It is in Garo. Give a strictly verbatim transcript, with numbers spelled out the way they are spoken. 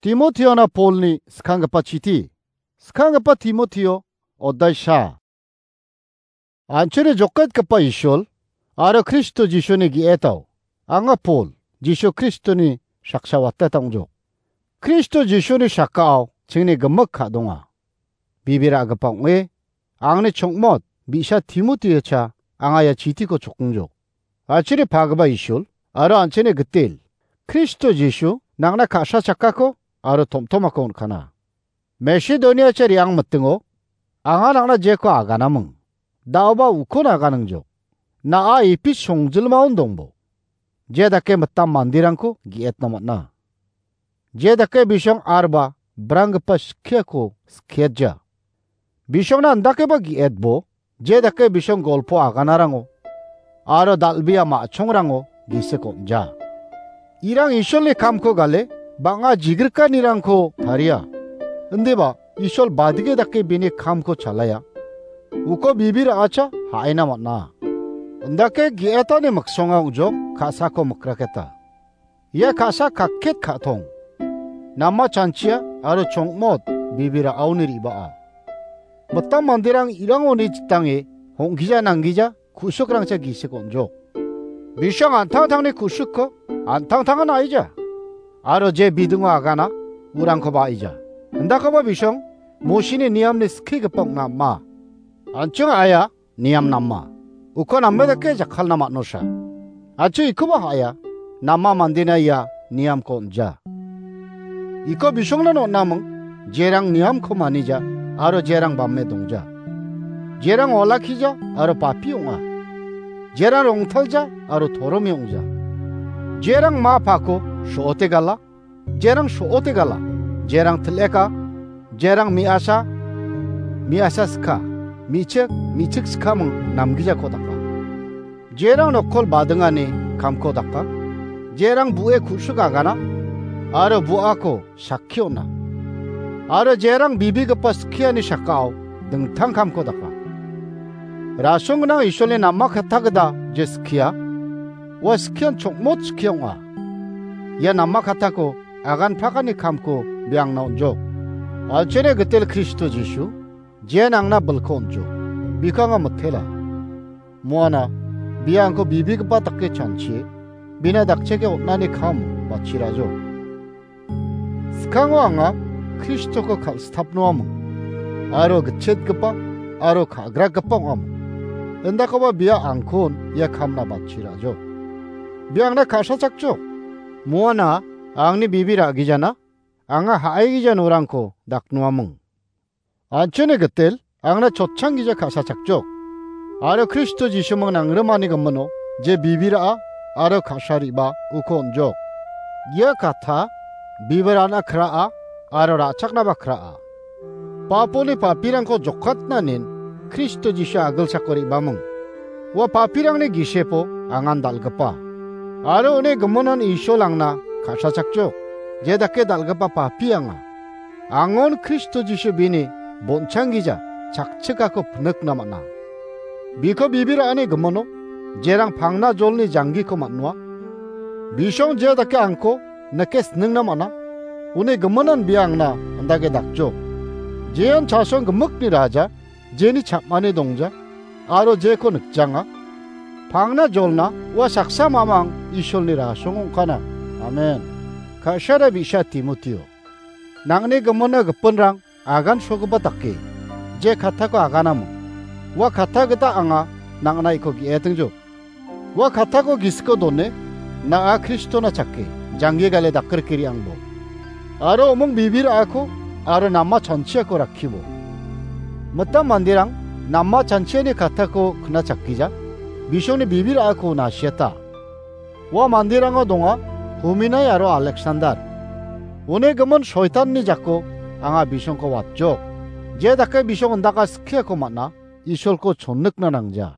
Timoteona Polni skanggipa chiti. Skanggipa Timoteo, oddai sha. An·chingni joketgipa Isol aro Kristo Jisuni ge·etao, anga Pol, Jisu Kristoni saksa wateta ong·jok. Kristo Jisuni sakao chingni gimik ka·donga. Bibir a·gipa ong·e, angni chongmot bi·sa Timoteocha anga ia chitiko chokongjok. An·chingni pagipa Isol aro an·chingni gitel Kristo Jisu nangna ka·sa chakako aro tom·tomako on·kana. Masedoniacha re·ang mitingo anga nangna jeko aganaming, da·oba ukon aganingjok. Na·a Epis songjilmaon dongbo. Je dake mitam manderangko ge·etna man·a. Je dake bisong arba branggipa skiako skiatja. Bisongna indakeba ge·etbo, je dake bisong golpo aganarango aro dal·bea ma·chongrango gisik on·ja. Irang Isolni kamko gale bang·a jigrikanirangko taria. Indiba Isol badige dake bini kamko chalaia. Uko bibir a·acha ha·aina man·a. Indake ge·etani miksonga ong·jok ka·sako mikraketa. Ia ka·sa kakket ka·tong. Nama chanchia aro chongmot bibir a·aoni re·baa. Mitam manderang irangoni jitange hong·gija nanggija ku·sikrangcha gisik on·jok. Bisong an·tangtangni ku·sikko an·tangtangan a·ija. Aro je bidingo agana, urangkoba a·ija. Indakoba bisong Mosini niamni skigipa ong·na ama. An·ching a·aia niam nama. Uko name dake jakkalna man·osa. An·ching ikoba ha·aia, nama mandena ia niamko on·ja. Iko bisongna on·aming, jerang niamko manija aro jerang bame dongja. Jerang olakkija aro papi ong·a. Jerang rongtalja aro toromi ong·ja. Jerang ma pako so·ote gala, jerang so·ote gala, jerang til·eka, jerang me·asa, me·asa ska, me·chik, me·chik skaming namgijako daka. Jerang nokkol badingani kamko daka, jerang bu·e ku·sik agana, aro bu·ako sakki on·a. Aro jerang bibigipa skiani sakao dingtang kamko daka. Rasong gnang Isolni nama katta gita je skia, ua skian chokmot skia ong·a. Ia nama kattako agan pakani kamko biangna on·jok. Alchene gitel Kristo Jisu, je nangna bilko on·jok. Biko anga mitela. Muana, bia angko bibigipa dake chanchie, bina dakcheke on·ani kam bachirajok. Skango anga Kristoko kal·stapnoaming, aro gitchetgipa, aro ka·graggipa ong·aming. Indakoba bia angkon ia kamna bachirajok. Bia angna ka·sachakjok. Muana angni bibi ra·gijana, anga ha·aigija norangko daknoaming. An·chingni gitel, angna chotchang gija ka·sachakjok. Aro Kristo Jisuming nangrimani gimino, je bibira·a, aro ka·sariba, uko on·jok. Ia katha, bibirana kra·a, aro ra·chaknaba kra·a. Paponi papirangko jokatnanin, Kristo Jisu agilsako re·baming. Ua papirangni gisepo angan dal·gipa. Aro uni giminan Isol angna ka·sachakjok. Je dake dal·gipa papi anga. Angon Kristo Jisu bini bon·changgija chakchikako pnikna man·a. Biko bibirani gimino jerang pangna jolni janggiko man·noa. Bisong je dake angko nike sningna man·a. Uni giminan bia angna andake dakjok. Jean chasong gimikni raja, jeni chapmani dongja, aro jeko nikjanga. Pangna jolna ua saksa mamang Isolni rasong ong·kana. Amen. Ka·sara bi·sa Timoteo. Nangni gimina gipinrang agan sogipa dake, je kattako aganamo. Ua katta gita anga nangna iko ge·etingjok. Ua kattako gisiko done, na·a Kristona chake, janggi gale dakrike re·angbo. Aro omong bibir a·ako, aro nama chanchiako rakkibo. Mitam manderang nama chanchiani kattako knachakgija, bisongni bibir a·ako nasiata. Ua manderango donga, Huminai aro Aleksandar. Uni gimin soitanni jako anga bisongko watjok. Je dake bisong indaka skiako man·a, Isolko chonnikna nangja.